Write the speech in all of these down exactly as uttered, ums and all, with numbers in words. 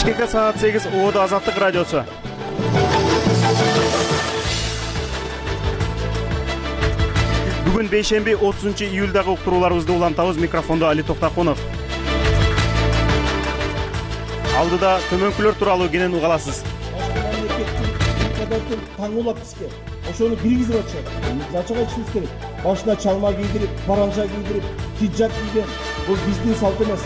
Бишкекте саат сегиз, Оодо Азаттык радиосу. Бүгүн бейшемби отузунчу июлдагы уктурууларыбызды улантабыз. Микрофондо Али Токтакунов. Алдыда төмөнкүлөр тууралуу кенен угаласыз. Таң улап бизге ошону киргизип атышат. Зачага ичишибиз керек. Башына чалма кийдирип, паранжа кийдирип, хиджаб кийген. Бул биздин салт эмес.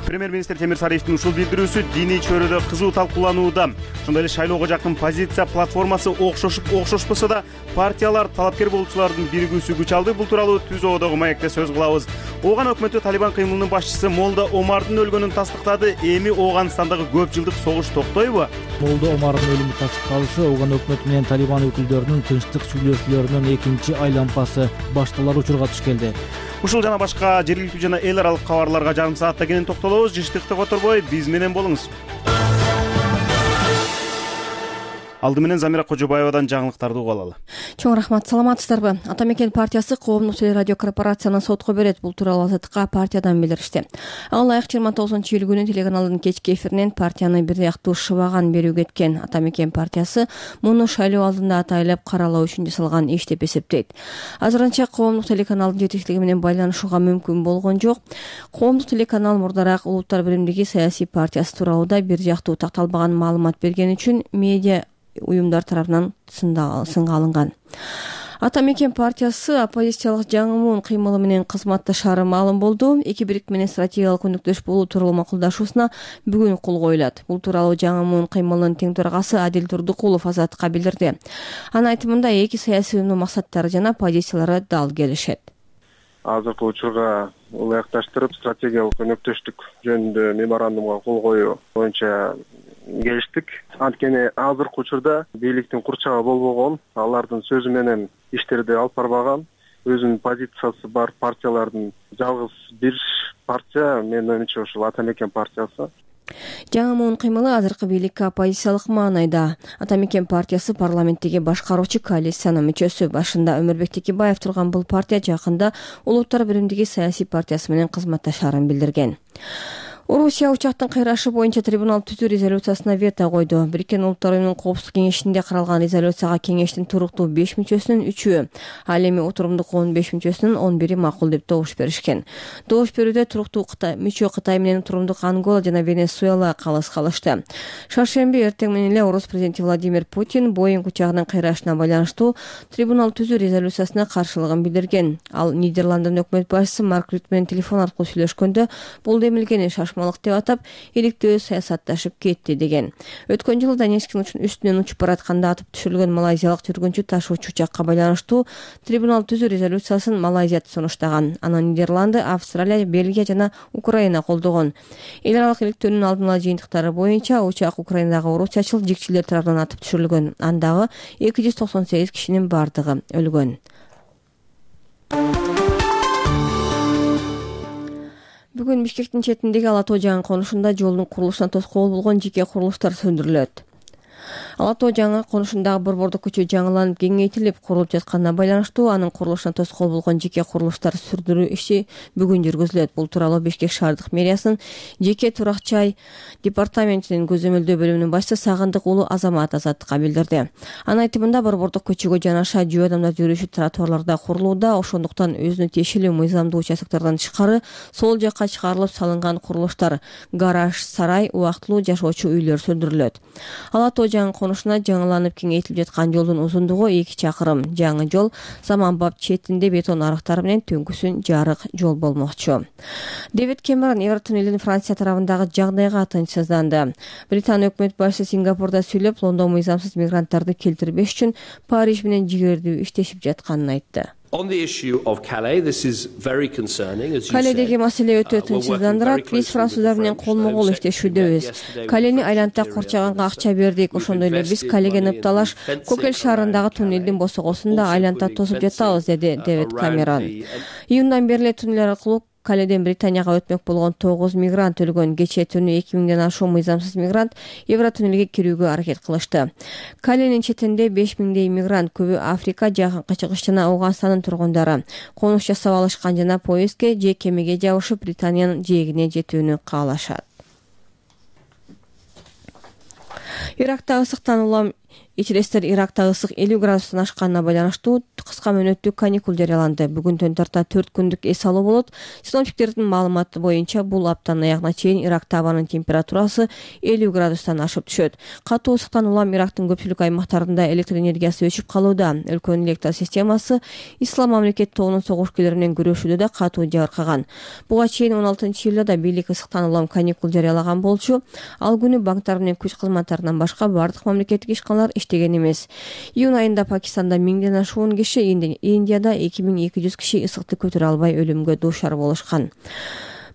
Премьер-министр Темир Сариевдин ушул билдирүүсү диний чөйрөдө кызуу талкууланууда. Ошондой эле шайлоого жакын позиция платформасы окшошуп окшошпосо да партиялар талапкер болуучулардын биригүүсү күч алды. Бул тууралуу Түз Оодогу маекте сөз кылабыз. Ооган өкмөтү Талибан кыймылынын башчысы Молда Омардын өлгөнүн тастыктады. Эми Ооганстандагы көп жылдык согуш токтойбу? Молда Омардын өлүмү тастыкталышы Ооган өкмөтү менен Талибан өкүлдөрүнүн тынчтык сүйлөшүүлөрүнүн экинчи айланпасы башталар учурга туш келди. Ушул жана башка жергиликтүү жана эл аралык кабарларга жарым саатта кенен токтолобуз. Жыштыкты которбой, биз менен болуңуз. Алды менен Замира Кожобаевадан жаңылыктарды угуп алалы. Чоң рахмат, саламатсыздарбы? Ата Мекен партиясы коомдук телерадио корпорацияны сотко берет. Бул тууралуу Азаттыкка партиядан билдиришти. Ага ылайык жыйырма тогузунчу июль күнү телеканалдын кечки эфиринен партияны бир ыяктуу шыбаган берүү кеткен. Ата Мекен партиясы муну шайлоо алдында атайлап каралоо үчүн жасалган иш деп эсептейт. Азырынча коомдук телеканалдын жетекчилиги менен байланышууга мүмкүн болгон жок. Коомдук телеканал мурдараак Улуттар биримдиги саясий партиясы тууралуу бир жактуу такталбаган маалымат берген үчүн медиа уюмдар тарабынан сынга алынган. Ата Мекен партиясы оппозициялык жаңы кыймылы менен кызматташары маалым болду. Эки бириктик менен стратегиялык өнөктөш болуу тууралуу макулдашуусуна бүгүн кол коюлат. Бул тууралуу жаңы кыймылынын тең төрагасы Адил Турдукулов Азаттыкка билдирди. Анын айтымында эки саясий уюмдун максаттары жана позициялары дал келишет. Азыркы учурга ылайыкташтырып стратегиялык өнөктөштүк жөнүндө меморандумга кол коюу боюнча келиштик. Анткени азыркы учурда бийликтин курчагы болбогон, алардын сөзү менен иштерди алып барбаган, өзүнүн позициясы бар партиялардын жалгыз бир партия, менин оюмча ушул Ата Мекен партиясы. Жаңы муун кыймылы азыркы бийликке оппозициялык маанайда. Ата Мекен партиясы парламенттеги башкаруучу коалициянын мүчөсү. Башында Өмүрбек Текебаев турган бул партия жакында Улуттар биримдиги саясий партиясы менен кызматташарын билдирген. Орусия учактын кыйрашы боюнча трибунал түзүү резолюциясына вето койду. Бириккен Улуттар уюмунун коопсуздук кеңешинде каралган резолюцияга кеңештин туруктуу беш мүчөсүнүн үчөө, ал эми отурумдук он беш мүчөсүнүн он бири макул деп добуш беришкен. Добуш берүүдө туруктуу Кытай, мүчө Кытай менен турумдук Ангола жана Венесуэла калыс калышты. Шаршемби эртең менен эле Орус президенти Владимир Путин Боинг учагынын кыйрашына байланыштуу трибунал түзүү резолюциясына каршылыгын билдирген. Ал Нидерланддын өкмөт башчысы Марк Рют менен телефон аркылуу сүйлөшкөндө бул демилгени шашма деп атап, иликтөө саясатташып кетти деген. Өткөн жылы Донецктин үстүнөн учуп баратканда атып түшүрүлгөн малайзиялык жүргүнчү ташуучу учакка байланыштуу трибунал түзүү резолюциясын Малайзия сунуштаган. Аны Нидерланды, Австралия, Бельгия жана Украина колдогон. Эл аралык иликтөөнүн алдын ала жыйынтыктары боюнча учак Украинадагы орусчачыл жикчилер тарабынан атып түшүрүлгөн. Андагы эки жүз токсон сегиз кишинин бардыгы өлгөн. Бүгүн Бишкектин четиндеги Ала Тоо жаңы конушунда жолдун курулушуна тоскоол болгон жеке курулуштар сөндүрүлөт. Ала Тоо жаңы конушундагы борбордук көчө жаңыланып кеңейтилип курулуп жатканына байланыштуу анын курулушуна тоскоол болгон жеке курулуштар сүрдүрүү иши бүгүн жүргүзүлөт. Бул тууралуу Бишкек шаардык мэриясынын жеке турак-жай департаментинин көзөмөлдөө бөлүмүнүн башчысы Сагындык уулу Азамат Азаттыкка билдирди. Анын айтымында борбордук көчөгө жанаша жөө адамдар жүрүүчү тротуарларда курулууда, ошондуктан өзүнө тиешелүү мыйзамдуу участоктордон тышкары сол жакка чыгарылып салынган курулуштар, гараж, сарай, убактылуу жашоочу үйлөр сөндүрүлөт. Ала Тоо жаңы конушуна жаңыланып кеңейтилип жаткан жолдун узундугу эки чакырым. Жаңы жол заманбап четинде бетон арыктары менен түнкүсүн жарык жол болмокчу. Дэвид Кэмерон Евротуннелдин Франция тарабындагы жагдайга тынчсызданды. Британ өкмөт башчысы Сингапурда сүйлөп, Лондон мыйзамсыз мигранттарды келтирбеш үчүн Париж менен жигердүү иштешип жатканын айтты. Каледеги маселе өтө тынчсыздандырат. Биз француздар менен колмо кол иштешүүдөбүз. Калени айлантып курчаганга акча бердик. Ошондой эле биз Калеге ныпталаш Кокель шаарындагы туннелдин босогосунда айлантап тосуп жатабыз, деди Дэвид Кэмерон. Июндан бери эле туннел аркылуу Каледен Британияга өтмөк болгон тогуз мигрант өлгөн. Кечээ түнү эки миңден ашуун мыйзамсыз мигрант Евротуннелге кирүүгө аракет кылышты. Каленин четинде беш миңдей мигрант, көбү Африка, Жакынкы Чыгыш жана Ауганстандын тургундары конуш жасап алышкан жана поездге же кемеге жабышып Британиянын жээгине жетүүнү каалашат. Иракта ысыктан улам ичилестер Иракта ысык элүү градустан ашканына байланыштуу кыска мөөнөттүү каникул жарыяланды. Бүгүн төн тарта төрт күндүк эс алуу болот. Синоптиктердин маалыматы боюнча бул аптанын аягына чейин Иракта абанын температурасы элүү градустан ашып түшөт. Катуу ысыктан улам Ирактын көпчүлүк аймактарында электр энергиясы өчүп калууда. Өлкөнүн электр системасы Ислам мамлекет тобунун согушкерлери менен күрөшүүдө да катуу жабыркаган. Буга чейин он алтынчы июлда да бийлик ысыктан улам каникул жарыялаган болчу. Ал күнү банктар менен күч кызматтарынан башка бардык мамлекеттик ишканалар иштеген эмес. Июнь айында Пакистанда миңден ашуун киши, Индияда эки миң эки жүз киши ысыкты көтөрө албай өлүмгө дуушар болушкан.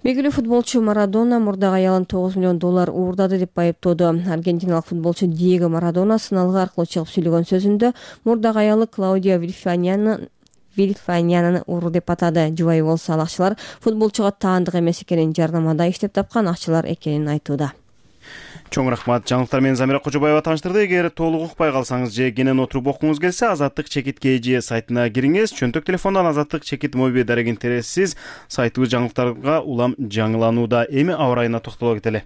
Белгилүү футболчу Марадона мурдагы аялын тогуз миллион доллар уурдады деп айыптоодо. Аргентиналык футболчу Диего Марадона сыналгы аркылуу чыгып сүйлөгөн сөзүндө мурдагы аялы Клаудиа Вильфаняны Вильфанянаны уру деп атады. Жубайы болсо ал акчалар футболчуга таандык эмес экенин, жарнамада иштеп тапкан акчалар экенин айтууда. Чоң рахмат. Жаңылыктар менен Замира Кожобаева тааныштырды. Эгер толук укпай калсаңыз же кенен отуруп окуңуз келсе, Азаттык чекит kg сайтына кириңиз. Чөнтөк телефондон Азаттык чекит моби дарегин тересиз. Сайтыбыз жаңылыктарга улам жаңыланууда. Эми аба ырайына токтоло кетели.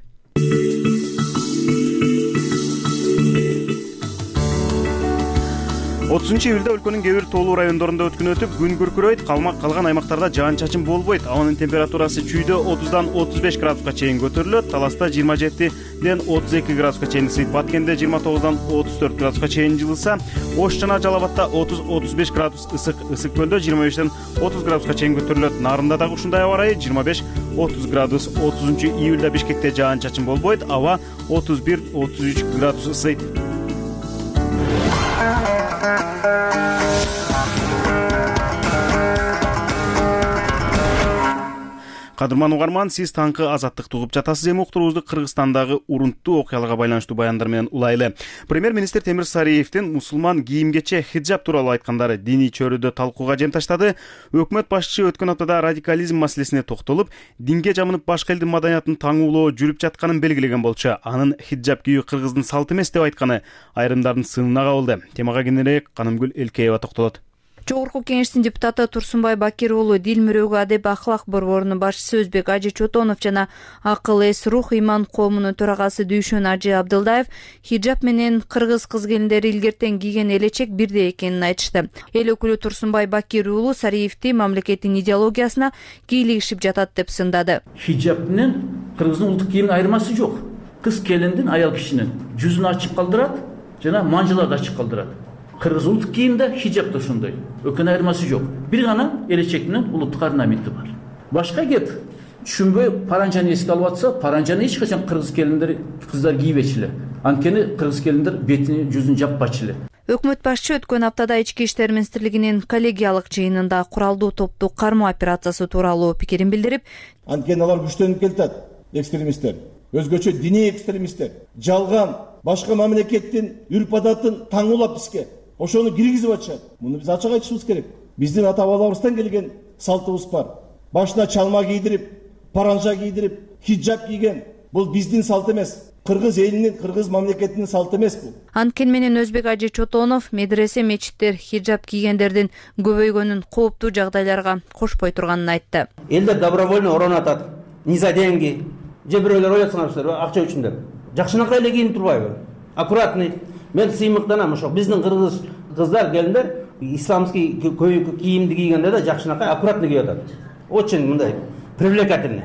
отузунчу июлда өлкөнүн кээ бир тоолуу райондорунда өткүн өтүп, күн күркүрөйт, калган аймактарда жаан-чачын болбойт. Абанын температурасы чүйдө отуздан отуз беш градуска чейин көтөрүлөт. Таласта жыйырма жетиден отуз эки градуска чейин ысыйт. Баткенде жыйырма тогуздан отуз төрт градуска чейин жылыса, Ош жана Жалал Абадта отуз отуз беш градус ысык. Ысык көлдө жыйырма бештен отуз градуска чейин көтөрүлөт. Нарында дагы ушундай аба ырайы жыйырма беш отуз градус. отузунчу июлда Бишкекте жаан-чачын болбойт. Аба отуз бир отуз үч градус ысыйт. Кадырман угарман, сиз таңкы Азаттыкты угуп жатасыз. Эми уктуруубузду Кыргызстандагы урунттуу окуяларга байланыштуу баяндар менен улайлы. Премьер-министр Темир Сариевдин мусулман кийимгече хиджаб тууралуу айткандары диний чөйрөдө талкууга жем таштады. Өкмөт башчысы өткөн аптада радикализм маселесине токтолуп, динге жамынып башка элдин маданиятын таңуулоо жүрүп жатканын белгилеген болчу. Анын хиджаб кийүү Кыргыздын салты эмес деп айтканы айрымдардын сынына кабылды. Темага кененирээк Канымгүл Элкеева токтолот. Жогорку Кеңештин депутаты Турсунбай Бакир уулу, Дил мөрөгү адеп ахлак борборунун башчысы Өзбек Ажы Чотонов жана Акыл эс рух иман коомунун төрагасы Дүйшөн Ажы Абдылдаев хиджаб менен кыргыз кыз-келиндери илгертен кийген элечек бирдей экенин айтышты. Эл өкүлү Турсунбай Бакир уулу Сариевди мамлекеттин идеологиясына кийлигишип жатат деп сындады. Хиджаб менен кыргыздын улуттук кийиминин айырмасы жок. Кыз-келиндин, аял кишинин жүзүн ачык калдырат жана манжыларды ачык калдырат. Кыргыз улуттук кийимде хиджаб да ошондой. Өкөн айырмасы жок. Бир гана элечек менен улуттук орнаменти бар. Башка кеп түшүнбөй паранжаны эске алып атса, паранжаны эч качан кыргыз келиндер, кыздар кийбечү эле. Анткени кыргыз келиндер бетини, жүзүн жаппачу эле. Өкмөт башчы өткөн аптада Ички иштер министрлигинин коллегиялык жыйынында куралдуу топту кармоо операциясы тууралуу пикирин билдирип, анткени алар күчтөнүп келатат, экстремисттер, өзгөчө диний экстремисттер, жалган башка мамлекеттин үрп-адатын таңуулап бизге ошону киргизип атышат. Муну биз ачык айтышыбыз керек. Биздин ата-бабаларыбыздан келген салтыбыз бар. Башына чалма кийдирип, паранжа кийдирип, хиджаб кийген. Бул биздин салт эмес. Кыргыз элинин, кыргыз мамлекетинин салты эмес бул. Анткени менен Өзбек Ажы Чотонов медресе, мечиттер хиджаб кийгендердин көбөйгөнүн кооптуу жагдайларга кошпой турганын айтты. Элдер добровольно оронатат. Не за деньги. Же бирөөлөр оятсаңарсыздар, акча үчүн деп. Жакшынакай эле кийинип турбайбы? Аккуратный. Мен сыймыктанам, ошо биздин кыргыз кыздар, келиндер исламский кийимди кийгенде да жакшынакай аккуратный кийип атат. Очень мындай привлекательный.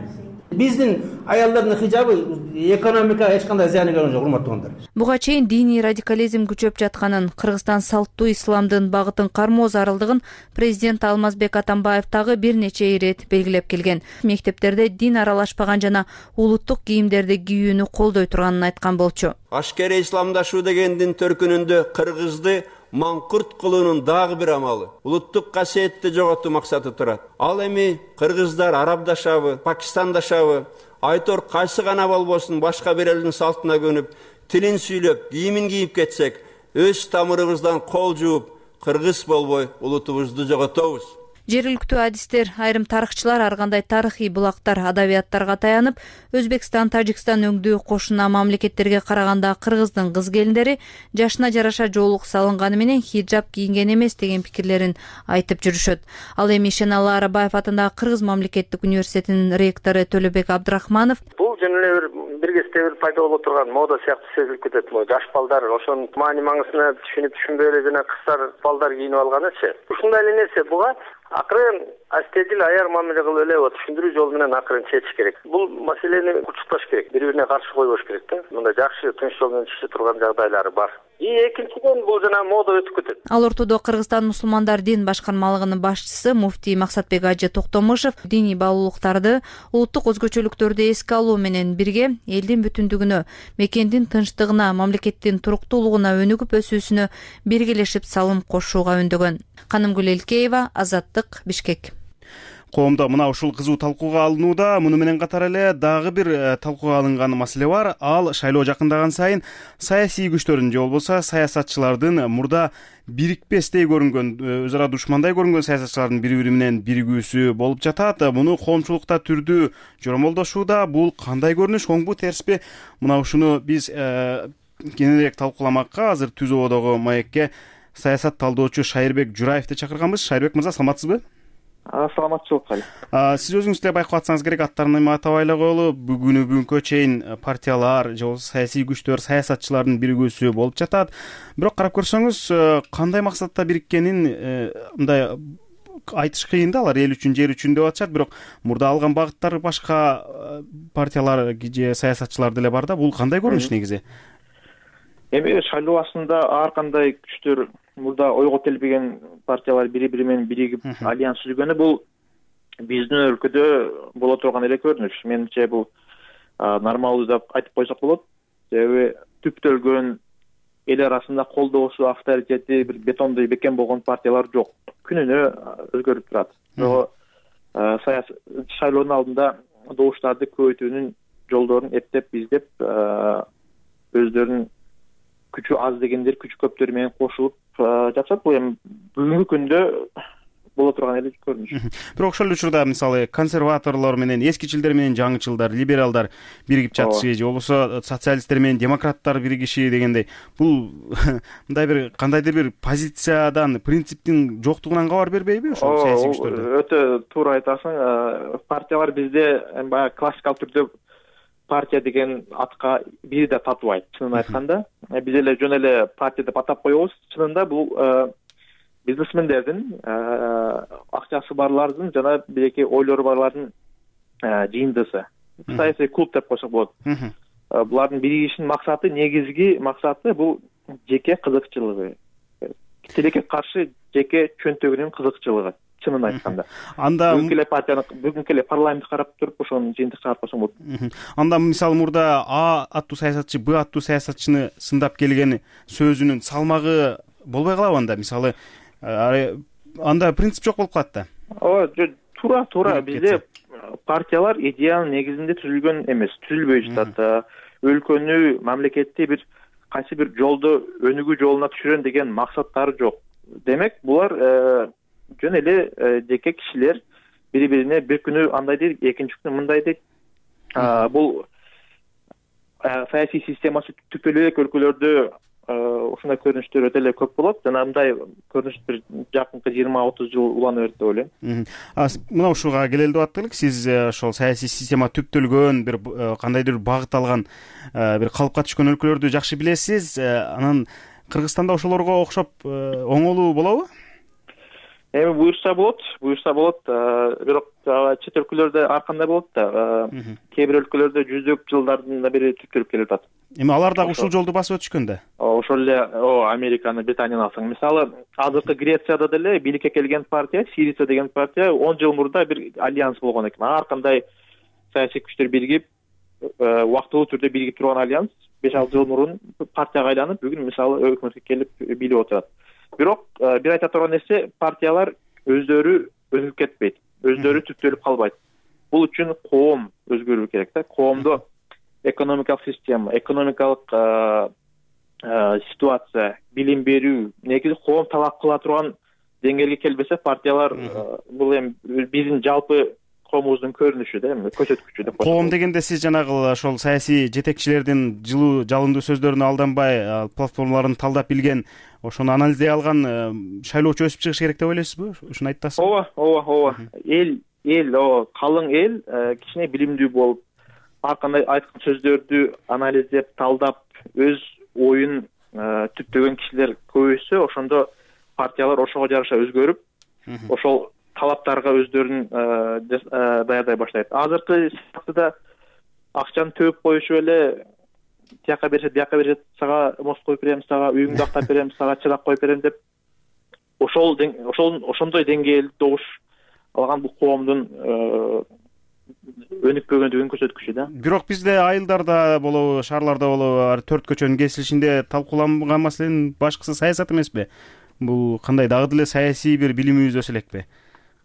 Биздин аялдардын хиджабы экономикага эч кандай зыяны келген жок, урматтуугандар. Буга чейин диний радикализм күчөп жатканын, Кыргызстан салттуу исламдын багытын кармоо зарылдыгын президент Алмазбек Атамбаев дагы бир нече ирет белгилеп келген. Мектептерде дин аралашпаган жана улуттук кийимдерди кийүүнү колдой турганын айткан болчу. Ашкери исламдашуу дегендин төркүнүндө кыргызды маңкурт кылуунун дагы бир амалы. Улуттук касиетти жоготуу максаты турат. Ал эми кыргыздар арабдашабы, пакистандашабы, айтор кайсы гана болбосун башка бир элдин салтына көнүп, тилин сүйлөп, кийимин кийип кетсек, өз тамырыбыздан кол жууп, кыргыз болбой улутубузду жоготобуз. Жергиликтүү адистер, айрым тарыхчылар ар кандай тарыхый булактар, адабияттарга таянып, Өзбекстан, Тажикстан өңдүү кошуна мамлекеттерге караганда кыргыздын кыз-келиндери жашына жараша жоолук салынганы менен хиджаб кийинген эмес деген пикирлерин айтып жүрүшөт. Ал эми Шеналы Арабаев атындагы Кыргыз мамлекеттик университетинин ректору Төлөбек Абдрахманов бул жөн эле бир бирге кечээкте бир пайда боло турган мода сыяктуу сезилип кетет. Могу жаш балдар ошонун маани маңызына түшүнүп түшүнбөй эле жана кыздар балдар кийинип алганычы. Ушундай эле нерсе буга акырын астедил аяр мамиле кылып эле түшүндүрүү жолу менен акырын чечиш керек. Бул маселени кучукташ керек, бири бирине каршы койбош керек да. Мындай жакшы тынч жол менен чече турган жагдайлары бар. И экинчиден бул жана мода өтүп кетет. Ал ортодо Кыргызстан мусулмандар дин башкармалыгынын башчысы муфтий Максатбек Ажы Токтомушев диний баалуулуктарды, улуттук өзгөчөлүктөрдү эске алуу менен бирге элдин бүтүндүгүнө, мекендин тынчтыгына, мамлекеттин туруктуулугуна өнүгүп өсүүсүнө биргелешип салым кошууга үндөгөн. Канымгүл Элкеева, Азаттык, Бишкек. Коомдо мына ушул кызуу талкууга алынууда. Муну менен катар эле дагы бир талкууга алынган маселе бар. Ал шайлоо жакындаган сайын саясий күчтөрдүн же болбосо саясатчылардын мурда бирикпестей көрүнгөн, өз ара душмандай көрүнгөн саясатчылардын бири бири менен биригүүсү болуп жатат. Муну коомчулукта түрдүү жоромолдошууда. Бул кандай көрүнүш, оңбу терсби? Мына ушуну биз кененирээк талкууламакка азыр Түз ободогу маекке саясат талдоочу Шайырбек Жураевди чакырганбыз. Шайырбек мырза, саламатсызбы? Саламатчылык кайла. Сиз өзүңүз деле байкап атсаңыз керек, аттарын эми атабай эле коелу. Бүгүнү бүгүнкү чейин партиялар же болбосо саясий күчтөр, саясатчылардын биригүүсү болуп жатат. Бирок карап көрсөңүз, кандай максатта бириккенин мындай айтыш кыйын да. Алар эл үчүн, жер үчүн деп атышат, бирок мурда алган багыттары башка партиялар же саясатчылар деле бар да. Бул кандай көрүнүш негизи? Эми шайлоо башында ар кандай күчтөр, мурда ойго келбеген партиялар бири бири менен биригип альянс түзгөнү бул биздин өлкөдө боло турган эле көрүнүш. Менимче бул нормалдуу деп айтып койсок болот. Себеби түптөлгөн эл арасында колдоосу, авторитети бир бетондой бекен болгон партиялар жок. Күнүнө өзгөрүп турат. Ошого саясий шайлоонун алдында добуштарды көбөйтүүнүн жолдорун эптеп, издеп, өздөрүнүн күчү аз дегендер күчү көптөр менен кошулуп жатышат. Бул эми бүгүнкү күндө боло турган эле көрүнүш. Бирок ошол учурда мисалы консерваторлор менен, эскичилдер менен жаңычылдар, либералдар биригип жатышы же болбосо социалисттер менен демократтар биригиши дегендей, бул мындай бир кандайдыр бир позициядан, принциптин жоктугунан кабар бербейби ошол саясий күчтөрдө? Өтө туура айтасың. Партиялар бизде баягы классикалык түрдө партия деген атка бири да татыбайт, чынын айтканда. Биз эле жөн эле партия деп атап коебуз. Чынында бул бизнесмендердин, акчасы барлардын жана бирээки ойлору барлардын жыйындысы. Саясий клуб деп койсок болот. Булардын биригишинин максаты, негизги максаты бул жеке кызыкчылыгы. Тилекке каршы жеке чөнтөгүнүн кызыкчылыгы. Чынын айтканда. Анда бүгүнкү эле партияны, бүгүнкү эле парламентти карап туруп, ошонун жыйынтык чыгарып койсоң болот. Анда мисалы мурда А аттуу саясатчы Б аттуу саясатчыны сындап келген сөзүнүн салмагы болбой калабы анда? Мисалы анда принцип жок болуп калат да. Ооба, туура, туура. Бизде партиялар идеянын негизинде түзүлгөн эмес, түзүлбөй жатат. Өлкөнү, мамлекетти бир кайсы бир жолдо өнүгүү жолуна түшүрөн деген максаттары жок. Демек, булар жөн эле жеке кишилер бири бирине бир күнү андай дейт, экинчи күнү мындай дейт. Бул саясий системасы түп эле өлкөлөрдө ушундай көрүнүштөр өтө эле көп болот. Жана мындай көрүнүш бир жакынкы жыйырма отуз жыл улана берет деп ойлойм. Мына ушуга келели деп аттык. Сиз ошол саясий система түптөлгөн, бир кандайдыр багыт алган, бир калыпка түшкөн өлкөлөрдү жакшы билесиз. Анан Кыргызстанда ошолорго окшоп оңолуу болобу? Эми буюрса болот, буюрса болот. Бирок чет өлкөлөрдө ар кандай болот да. Кээ бир өлкөлөрдө жүздөп жылдардан бери түптөлүп келип атат. Эми алар дагы ушул жолду басып өтүшкөн да. Ошол эле Американы, Британияны алсаң, мисалы, азыркы Грецияда деле бийликке келген партия, Сирица деген партия он жыл мурда бир альянс болгон экен. Ар кандай саясий күчтөр биригип, убактылуу түрдө биригип турган альянс беш алты жыл мурун партияга айланып, бүгүн мисалы өкмөткө келип бийлеп отурат. Бирок бир айта турган нерсе, партиялар өздөрү өнүгүп кетпейт, өздөрү түптөлүп калбайт. Бул үчүн коом өзгөрүү керек да. Коомдо экономикалык система, экономикалык ситуация, билим берүү, негизи коом талап кыла турган деңгээлге келбесе, партиялар бул эми биздин жалпы коомубуздун көрүнүшү да, эми көрсөткүчү деп. Коом дегенде сиз жанагы ошол саясий жетекчилердин жылуу, жалындуу сөздөрүнө алданбай, платформаларын талдап билген, ошону анализдей алган шайлоочу өсүп чыгыш керек деп ойлойсузбу? Ушуну айтасызбы? Ооба, ооба, ооба. Эл, эл, о, калың эл кичине билимдүү болуп, ар кандай айткан сөздөрдү анализдеп талдап өз оюн түптөгөн кишилер көбөйсө, ошондо партиялар ошого жараша өзгөрүп, ошол талаптарга өздөрүн даярдай баштайт. Азыркы сыяктуу акчаны төгүп коюшуп эле тияка беришет, бияка беришет, сага мост коюп берем, сага үйүңдү актап берем, сага чырак коюп берем деп ошол ошол ошондой деңгээлде добуш алган бул коомдун өнүкпөгөндүгүнүн көрсөткүчү да. Бирок бизде айылдарда болобу, шаарларда болобу, төрт көчөнүн кесилишинде талкууланган маселенин башкысы саясат эмеспи? Бул кандай дагы деле саясий бир билимибиз өсө элекпи?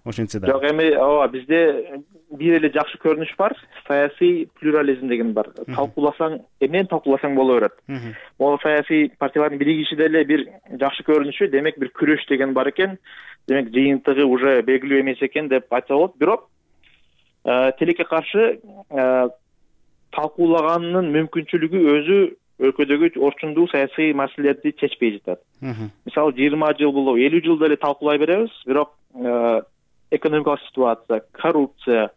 Ошентсе да. Жок, эми ооба, бизде бир эле жакшы көрүнүш бар, саясий плюрализм деген бар. Талкууласаң, эмнени талкууласаң боло берет. Могу саясий партиялардын биригиши деле бир жакшы көрүнүшү, демек бир күрөш деген бар экен. Демек жыйынтыгы уже белгилүү эмес экен деп айтса болот. Бирок тилекке каршы талкуулагандын мүмкүнчүлүгү өзү өлкөдөгү орчундуу саясий маселелерди чечпей жатат. Мисалы жыйырма жыл болобу, элүү жыл деле талкуулай беребиз, бирок экономикалык ситуация, коррупция,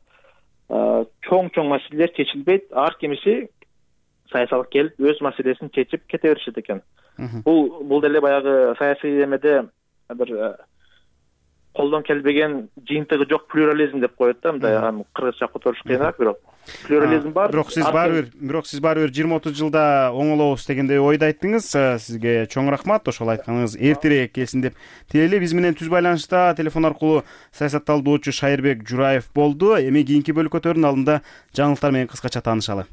чоң-чоң маселелер чечилбейт. Ар кимиси саясатка келип өз маселесин чечип кете беришет экен. Бул бул деле баягы саясий эмеде бир колдон келбеген, жыйынтыгы жок плюрализм деп коет да, мындай кыргызча которуш кыйыныраак, бирок плюрализм бар. Бирок сиз баары бир, бирок сиз баары бир жыйырма отуз жылда оңолобуз дегендей ойду айттыңыз. Сизге чоң рахмат, ошол айтканыңыз эртерээк келсин деп тилейли. Биз менен түз байланышта телефон аркылуу саясат талдоочу Шайырбек Жураев болду. Эми кийинки бөлүкөтөрдүн алдында жаңылыктар менен кыскача таанышалы.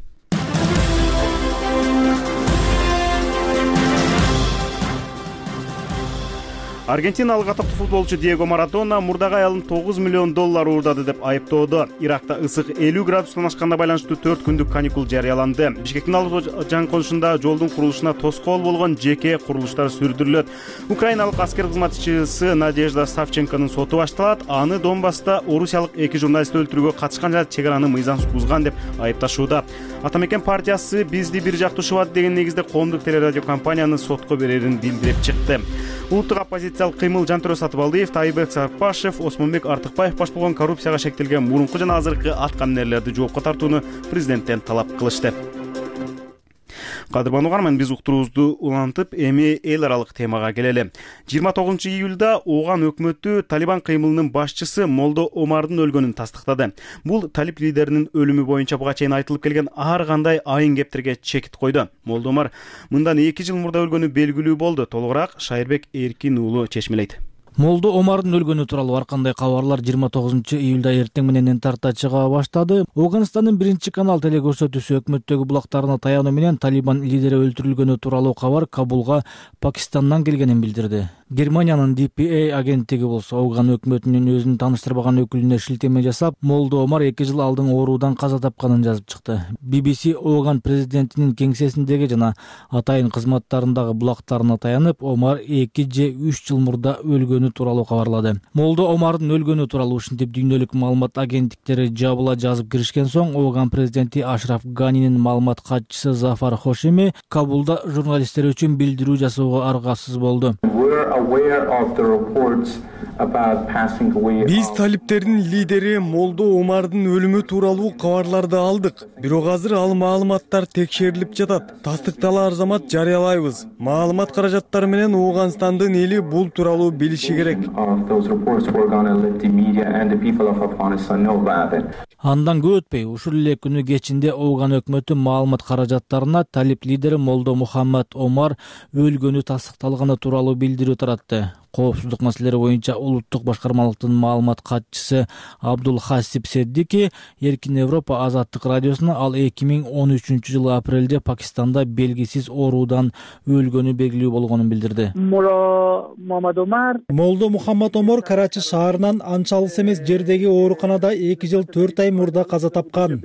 Аргентиналык атактуу футболчу Диего Марадона мурдагы аялын тогуз миллион доллар уурдады деп айыптоодо. Иракта ысык элүү градустан ашканга байланыштуу төрт күндүк каникул жарыяланды. Бишкектин алып жаңы конушунда жолдун курулушуна тоскоол болгон жеке курулуштар сүрдүрүлөт. Украиналык аскер кызматчысы Надежда Савченконун соту башталат. Аны Донбасста орусиялык эки журналистти өлтүрүүгө катышкан жана чек араны мыйзамсыз бузган деп айыпташууда. Атамекен партиясы бизди бир жактуу шубат деген негизде коомдук телерадио компанияны сотко берерин билдирип чыкты. Улуттук оппозициялык кыймыл Жантөрө Сатыбалдиев, Тайбек Сарпашев, Осмонбек Артыкбаев баш болгон коррупцияга шектелген мурунку жана азыркы аткаминерлерди жоопко тартууну президенттен талап кылышты. Кадырман угарман, биз уктуруубузду улантып, эми эл аралык темага келели. жыйырма тогузунчу июлда Ооган өкмөтү Талибан кыймылынын башчысы Молдо Омардын өлгөнүн тастыктады. Бул талиб лидеринин өлүмү боюнча буга чейин айтылып келген ар кандай айын кептерге чекит койду. Молдо Омар мындан эки жыл мурда өлгөнү белгилүү болду. Толугураак Шайырбек Эркин уулу чечмелейт. Молдо Омардын өлгөнү тууралуу ар кандай кабарлар жыйырма тогузунчу июлда эртең менен тарта чыга баштады. Оганстандын биринчи канал телекөрсөтүүсү өкмөттөгү булактарына таянуу менен Талибан лидери өлтүрүлгөнү тууралуу кабар Кабулга Пакистандан келгенин билдирди. Германиянын ди пи эй агенттиги болсо Ооган өкмөтүнүн өзүн тааныштырбаган өкүлүнө шилтеме жасап, Молдо Омар эки жыл алдын оорудан каза тапканын жазып чыкты. би би си Ооган президентинин кеңсесиндеги жана атайын кызматтарындагы булактарына таянып, Омар эки же үч жыл мурда өлгөнү тууралуу кабарлады. Молдо Омардын өлгөнү тууралуу ушинтип дүйнөлүк маалымат агенттиктери жабыла жазып киришкен соң, Ооган президенти Ашраф Ганинин маалымат катчысы Зафар Хошеми Кабулда журналисттер үчүн билдирүү жасоого аргасыз болду. Биз талиптердин лидери Молдо Омардын өлүмү тууралуу кабарларды алдык. Бирок азыр ал маалыматтар текшерилип жатат. Тастыкталар замат жарыялайбыз. Маалымат каражаттары менен Оганстандын эли бул тууралуу билиши керек. Андан көп өтпөй, ушул эле күнү кечинде Ооган өкмөтү маалымат каражаттарына талип лидери Молдо Мухаммад Омар өлгөнү тастыкталганы тууралуу билдирүү таратты. Коопсуздук маселелери боюнча улуттук башкармалыктын маалымат катчысы Абдул Хасип Седдики Эркин Европа азаттык радиосуна ал эки миң он үчүнчү жылы апрелде Пакистанда белгисиз оорудан өлгөнү белгилүү болгонун билдирди. Молдо Мухаммад Омар Карачи шаарынан анча алыс эмес жердеги ооруканада эки жыл төрт ай мурда каза тапкан.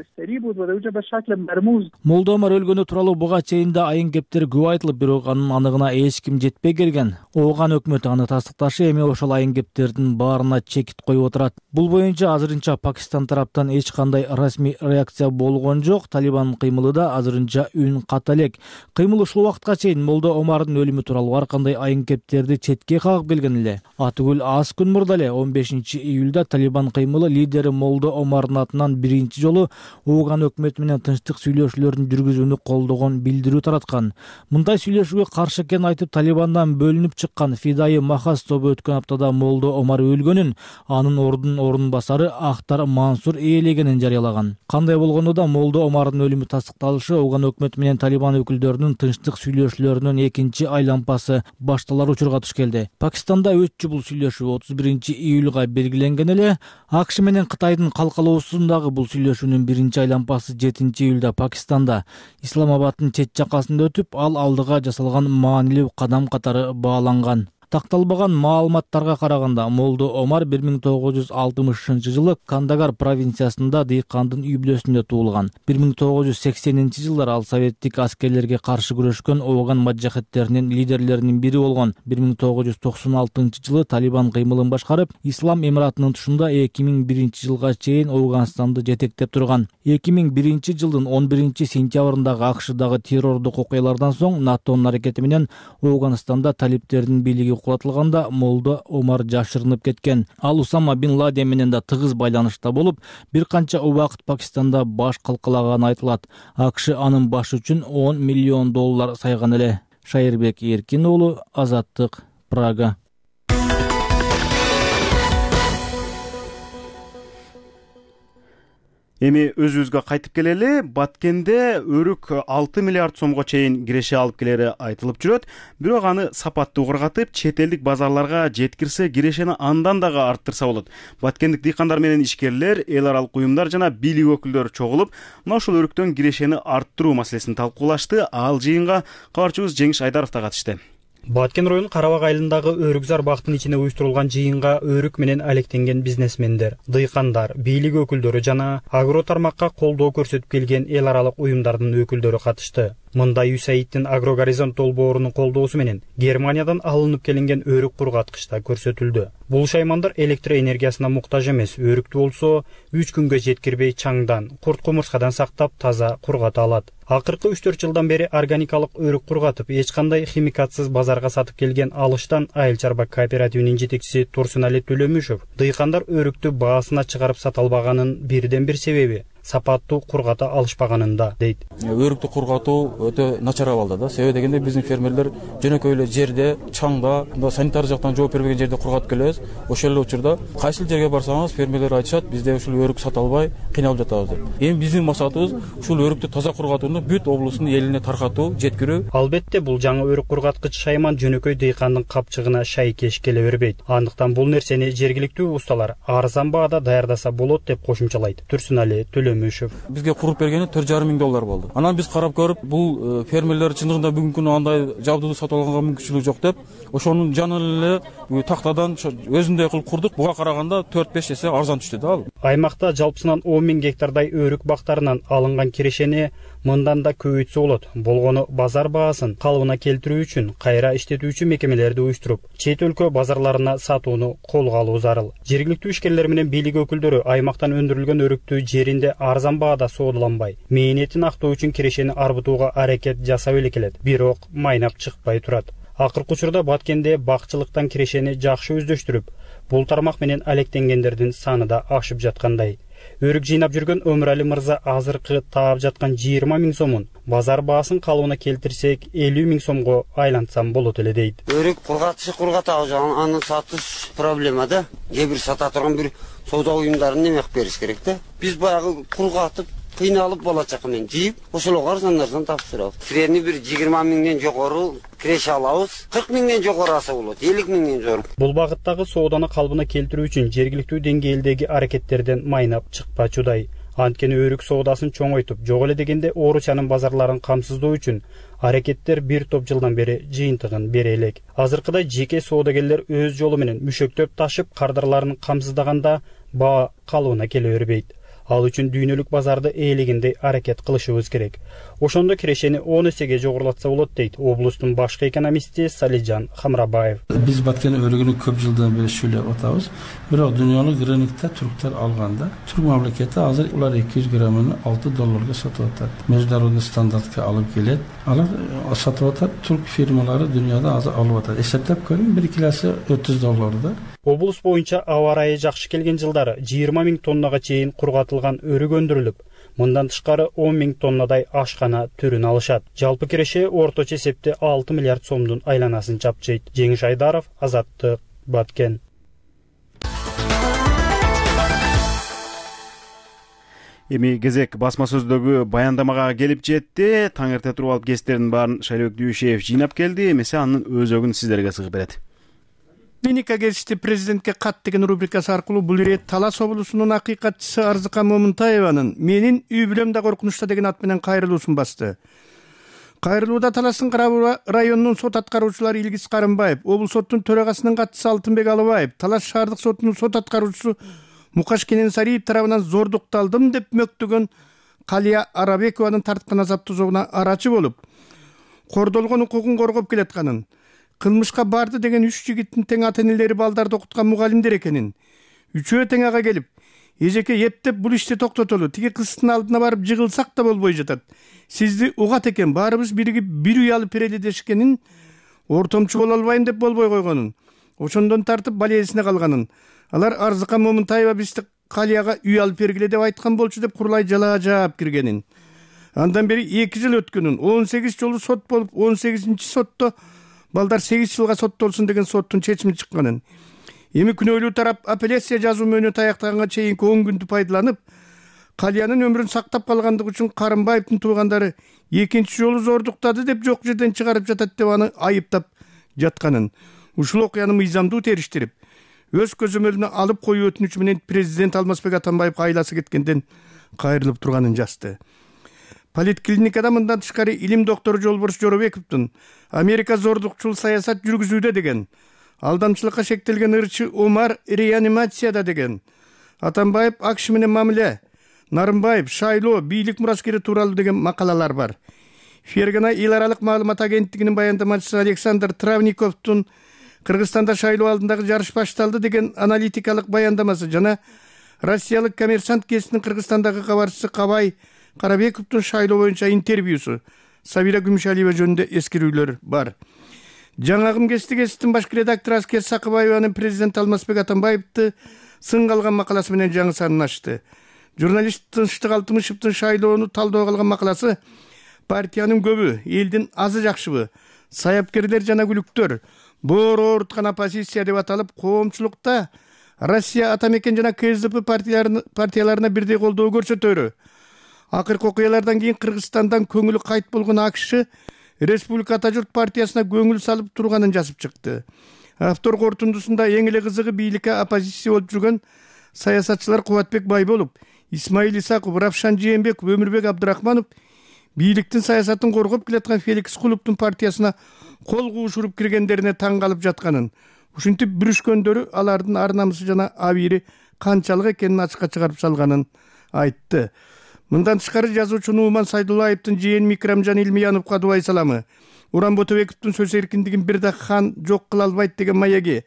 Молдо Омар өлгөнү тууралуу буга чейин да айын кептер көп айтылып, бирок анын аныгына эч ким жетпей келген. Ооган өкмөтү аны тастыкташы эми ошол айын кептердин баарына чекит коюп отурат. Бул боюнча азырынча Пакистан тараптан эч кандай расмий реакция болгон жок. Талибандын кыймылы да азырынча үн ката элек. Кыймыл ушул убакытка чейин Молдо Омардын өлүмү тууралуу ар кандай айын кептерди четке кагып келген эле. Атүгүл аз күн мурда эле он бешинчи июлда Талибан кыймылы лидери Молдо Омардын атынан биринчи жолу Ооган өкмөтү менен тынчтык сүйлөшүүлөрдүн жүргүзүүнү колдогон билдирүү тараткан. Мындай сүйлөшүүгө каршы экенин айтып, Талибандан бөлүнүп чыккан Фидай Махас тобу өткөн аптада Молдо Омар өлгөнүн, анын ордунун ордун басары Ахтар Мансур ээлегенин жарыялаган. Кандай болгондо да Молдо Омардын өлүмү тастыкталышы Ооган өкмөтү менен Талибан өкүлдөрүнүн тынчтык сүйлөшүүлөрүнүн экинчи айлампасы башталар учурга туш келди. Пакистанда өтчү бул сүйлөшүү отуз биринчи июлга белгиленген эле. АКШ менен Кытайдын калкалоосундагы бул сүйлөшүүнүн биринчи айлампасы жетинчи июлда Пакистанда Исламабадтын чет жакасында өтүп, ал алдыга жасалган маанилүү кадам катары бааланган. Такталбаган маалыматтарга караганда Молдо Омар бир миң тогуз жүз алтымышынчы жылы Кандагар провинциясында дыйкандын үй бүлөсүндө туулган. бир миң тогуз жүз сексенинчи жылдары ал советтик аскерлерге каршы күрөшкөн Ооган маджахеттеринин лидерлеринин бири болгон. бир миң тогуз жүз токсон алтынчы жылы Талибан кыймылын башкарып, Ислам Эмиратынын тушунда эки миң биринчи жылга чейин Ооганстанды жетектеп турган. эки миң биринчи жылдын он биринчи сентябрындагы АКШдагы террордук окуялардан соң НАТОнун аракети менен Ооганстанда талиптердин бийлиги кулатылганда Молдо Омар жашырынып кеткен. Ал Усама бин Ладен менен да тыгыз байланышта болуп, бир канча убакыт Пакистанда баш калкалаганы айтылат. АКШ анын башы үчүн он миллион доллар сайган эле. Шайырбек Эркин уулу, Азаттык, Прага. Эми өзүбүзгө кайтып келели. Баткенде өрүк алты миллиард сомго чейин киреше алып келери айтылып жүрөт. Бирок аны сапаттуу кыргатып, чет элдик базарларга жеткирсе, кирешени андан дагы арттырса болот. Баткендик дыйкандар менен ишкерлер, эл аралык уюмдар жана бийлик өкүлдөрү чогулуп, мына ушул өрүктөн кирешени арттыруу маселесин талкуулашты. Ал жыйынга кабарчыбыз Жеңиш Айдаров да катышты. Баткен районунун Карабак айылындагы Өрүкзар бактын ичинде уюштурулган жыйынга өрүк менен алектенген бизнесмендер, дыйкандар, бийлик өкүлдөрү жана агро тармакка колдоо көрсөтүп келген эл аралык уюмдардын өкүлдөрү катышты. Мында ЮСАИДтин Агрогоризонт долбоорунун колдоосу менен Германиядан алынып келинген өрүк кургаткычта көрсөтүлдү. Бул шаймандар электр энергиясына муктаж эмес, өрүктү болсо үч күнгө жеткирбей чаңдан, курт кумурскадан сактап таза кургата алат. Акыркы үч төрт жылдан бери органикалык өрүк кургатып, эч кандай химикатсыз базарга сатып келген Алыштан Айыл чарба кооперативинин жетекчиси Турсунали Төлөмүшев дыйкандар өрүктү баасына чыгарып сата албаганын бирден бир себеби сапаттуу кургата алышпаганында дейт. Өрүктү кургатуу өтө начар абалда да. Себеби дегенде биздин фермерлер жөнөкөй эле жерде, чаңда, санитар жактан жооп бербеген жерде кургатып келебиз. Ошол эле учурда кайсыл жерге барсаңыз фермерлер айтышат, бизде ушул өрүк сата албай кыйналып жатабыз деп. Эми биздин максатыбыз ушул өрүктү таза кургатууну бүт облустун элине таркатуу, жеткирүү. Албетте бул жаңы өрүк кургаткыч шайман жөнөкөй дыйкандын капчыгына шайкеш келе бербейт. Андыктан бул нерсени жергиликтүү усталар арзан баада даярдаса болот деп кошумчалайт Турсунали Төлөмүшев. Бизге куруп бергени төрт жарым миң доллар болду. Анан биз карап көрүп, бул фермерлер чындыгында бүгүнкү күнү андай жабдууду сатып алганга мүмкүнчүлүк жок деп, ошонун жанын эле тактадан өзүндөй кылып курдук. Буга караганда төрт беш эсе арзан түштү да ал. Аймакта жалпысынан он миң гектардай өрүк бактарынан алынган кирешени мындан да көбөйтсө болот. Болгону базар баасын калыбына келтирүү үчүн кайра иштетүүчү мекемелерди уюштуруп, чет өлкө базарларына сатууну колго алуу зарыл. Жергиликтүү ишкерлер менен бийлик өкүлдөрү аймактан өндүрүлгөн өрүктү жеринде арзан баада соодуланбай, мээнетин актоо үчүн кирешени арбытууга аракет жасап эле келет. Бирок майнап чыкпай турат. Акыркы учурда Баткенде бакчылыктан кирешени жакшы өздөштүрүп, бул тармак менен алектенгендердин саны да ашып жаткандай. Өрүк жыйнап жүргөн Өмүрали мырза азыркы таап жаткан жыйырма миң сомун базар баасын калыбына келтирсек элүү миң сомго айлантсам болот эле дейт. Өрүк кургатышы кургатабыз, аны сатыш проблема да. Кээ бир сата турган бир соода уюмдарын неме кылып бериш керек да. Биз баягы кургатып кыйналып бала чака менен жыйып, ошолго арзандардан тапшырабыз. Средний бир жыйырма миңден жогору киреше алабыз. кырк миңден жогору алса болот, элүү миңден жогору. Бул багыттагы сооданы калыбына келтирүү үчүн жергиликтүү деңгээлдеги аракеттерден майнап чыкпачудай. Анткени өрүк соодасын чоңойтуп, жок эле дегенде Орусиянын базарларын камсыздоо үчүн аракеттер бир топ жылдан бери жыйынтыгын бере элек. Азыркыдай жеке соодагерлер өз жолу менен мүшөктөп ташып кардарларын камсыздаганда баа калыбына келе бербейт. Ал үчүн дүйнөлүк базарды ээлегендей аракет кылышыбыз керек. Ошондо кирешени он эсеге жогорулатса болот дейт облустун башкы экономисти Салижан Хамрабаев. Биз Баткен өрүгүнү көп жылдан бери сүйлөп атабыз. Бирок дүйнөлүк рынокто турктар алганда түрк мамлекети азыр улар эки жүз граммын алты долларга сатып атат. Международный стандартка алып келет. Алар сатып атат, турк фирмалары дүйнөдө азыр алып атат. Эсептеп көрүң, бир килосы отуз долларда. Облус боюнча аба ырайы жакшы келген жылдары жыйырма миң тоннага чейин кургатылган өрүк өндүрүлүп, мындан тышкары он миң тоннадай ашкана түрүн алышат. Жалпы киреше орточо эсепте алты миллиард сомдун айланасын чапчыйт. Жеңиш Айдаров, Азаттык, Баткен. Эми кезек басма сөздөгү баяндамага келип жетти. Таң эрте туруп алып кестердин баарын Шайлоок Дүйшеев жыйнап келди. Эмесе анын өзөгүн сиздерге сыгып берет. Клиника гезити президентке кат деген рубрикасы аркылуу бул ирет Талас облусунун акыйкатчысы Арзыка Момунтаеванын «Менин үй бүлөм да коркунучта» деген ат менен кайрылуусун басты. Кайрылууда Таластын Карабура районунун сот аткаруучулары Илгиз Карымбаев, облус соттун төрагасынын катчысы Алтынбек Алыбаев, Талас шаардык сотунун сот аткаруучусу Мукаш Кененсариев тарабынан зордукталдым деп мөктөгөн Калия Арабекованын тарткан азаптуу зоогуна арачы болуп, кордолгон укугун коргоп келатканын, кылмышка барды деген үч жигиттин тең ата-энелери балдарды окуткан мугалимдер экенин, үчөө тең ага келип, эжеке эптеп бул ишти токтотолу, тиги кыздын алдына барып жыгылсак да болбой жатат. Сизди угат экен, баарыбыз биригип бир үй алып берели дешкенин, ортомчу боло албайм деп болбой койгонун, ошондон тартып балиесине калганын. Алар Арзыка Момунтаева бизди Калияга үй алып бергиле деп айткан болчу деп курулай жалаа жаап киргенин. Андан бери эки жыл өткөнүн, он сегиз жолу сот болуп, он сегизинчи сотто балдар сегиз жылга соттолсун деген соттун чечими чыкканын. Эми күнөөлүү тарап апелляция жазуу мөөнөтү аяктаганга чейинки он күндү пайдаланып, Калиянын өмүрүн сактап калгандыгы үчүн Карымбаевдин туугандары экинчи жолу зордуктады деп жок жерден чыгарып жатат деп аны айыптап жатканын. Ушул окуяны мыйзамдуу териштирип, өз көзөмөлүнө алып коюу өтүнүчү менен президент Алмазбек Атамбаевге айласы кеткенден кайрылып турганын жазды. Политклиникада мындан тышкары илим доктору Жолборс Жоробековдун Америка зордукчул саясат жүргүзүүдө деген, алдамчылыкка шектелген ырчы Омар реанимацияда деген, Атамбаев АКШ менен мамиле, Нарымбаев шайлоо бийлик мураскери тууралуу деген макалалар бар. Фергана эл аралык маалымат агенттигинин баяндамачысы Александр Травниковдун Кыргызстанда шайлоо алдындагы жарыш башталды деген аналитикалык баяндамасы жана Россиялык Коммерсант гезитинин Кыргызстандагы кабарчысы Кабай Карабековдун шайлоо боюнча интервьюсу Сабира Күмүшалиева жөнүндө эскерүүлөр бар. Жаңагым гезити гезитинин башкы редактору Аскер Сакыбаеванын президент Алмазбек Атамбаевди сынга алган макаласы менен жаңы санын ачты. Журналист Тынчтык Алтымышевдин шайлоону талдоого алган макаласы партиянын көбү, элдин азы жакшыбы, саяпкерлер жана күлүктөр, боор ооруткан оппозиция деп аталып, коомчулукта Россия Атамекен жана КСДП партияларына бирдей колдоо көрсөтөрү. Акыркы окуялардан кийин Кыргызстандан көңүлү кайт болгон АКШ Республика Ата журт партиясына көңүл салып турганын жазып чыкты. Автор кортундусунда эң эле кызыгы бийликке оппозиция болуп жүргөн саясатчылар Кубатбек Байболов, Исмаил Исаков, Равшан Жээнбеков, Өмүрбек Абдрахманов бийликтин саясатын коргоп келаткан Феликс Кулуптун партиясына кол куушуруп киргендерине таң калып жатканын, ушинтип бүрүшкөндөрү алардын ар намысы жана абийири канчалык экенин ачыкка чыгарып салганын айтты. Мындан тышкары жазуучу Нууман Сайдуллаевдин жээни Микрамжан Илмияновго дубай саламы, Уран Ботобековдун сөз эркиндигин бир да хан жок кыла албайт деген маяги,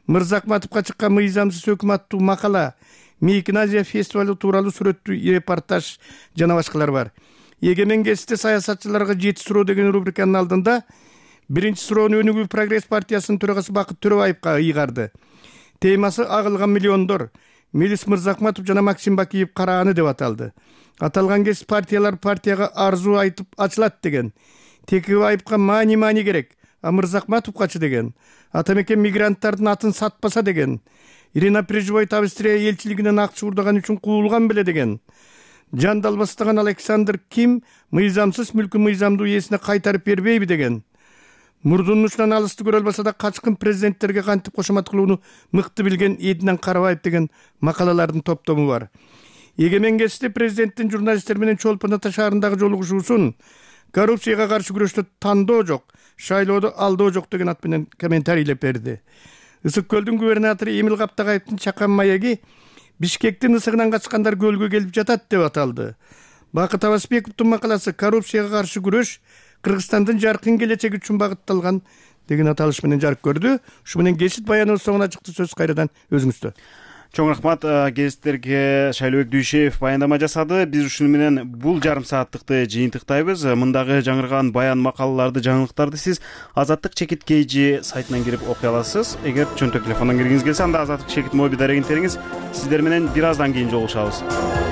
Мырзакматовго чыккан мыйзамсыз өкмөт аттуу макала, Мейкин Азия фестивалы тууралуу сүрөттүү репортаж жана башкалар бар. Егемен гезити саясатчыларга жети суроо деген рубриканын алдында биринчи суроону Өнүгүү Прогресс партиясынын төрагасы Бакыт Төрөбаевга ыйгарды. Темасы агылган миллиондор, Мелис Мырзакматов жана Максим Бакиев карааны деп аталды. Аталган кез партиялар партияга арзуу айтып ачылат деген. Текебаевга мани-мани керек, а Мырзакматовгачы деген. Атамекен мигранттардын атын сатпаса деген. Ирина Прижбойт Австрия элчилигинен акча урдаган үчүн куулган беле деген. Жан далбастаган Александр Ким мыйзамсыз мүлкү мыйзамдуу ээсине кайтарып бербейби деген. Мурдунун учунан алысты көрө албаса да качкын президенттерге кантип кошомат кылууну мыкты билген Эдинан Карабаев деген макалалардын топтому бар. Егемен гезити президенттин журналисттер менен Чолпон Ата шаарындагы жолугушуусун коррупцияга каршы күрөштө тандоо жок, шайлоодо алдоо жок деген ат менен комментарийлеп берди. Ысык көлдүн губернатору Эмил Каптагаевдин чакан маяги Бишкектин ысыгынан качкандар көлгө келип жатат деп аталды. Бакыт Абасбековдун макаласы «Коррупцияга каршы күрөш Кыргызстандын жаркын келечеги үчүн багытталган» деген аталыш менен жарык көрдү. Ушу менен гезит баяныбыз соңуна чыкты. Сөз кайрадан өзүңүздө. Чоң рахмат. Гезиттерге Шайлообек Дүйшеев баяндама жасады. Биз ушуну менен бул жарым сааттыкты жыйынтыктайбыз. Мындагы жаңырган баян, макалаларды, жаңылыктарды сиз Азаттык чекит kg сайтынан кирип окуй аласыз. Эгер чөнтөк телефондон киргиңиз келсе, анда Азаттык чекит моби дарегин териңиз. Сиздер менен бир аздан кийин жолугушабыз.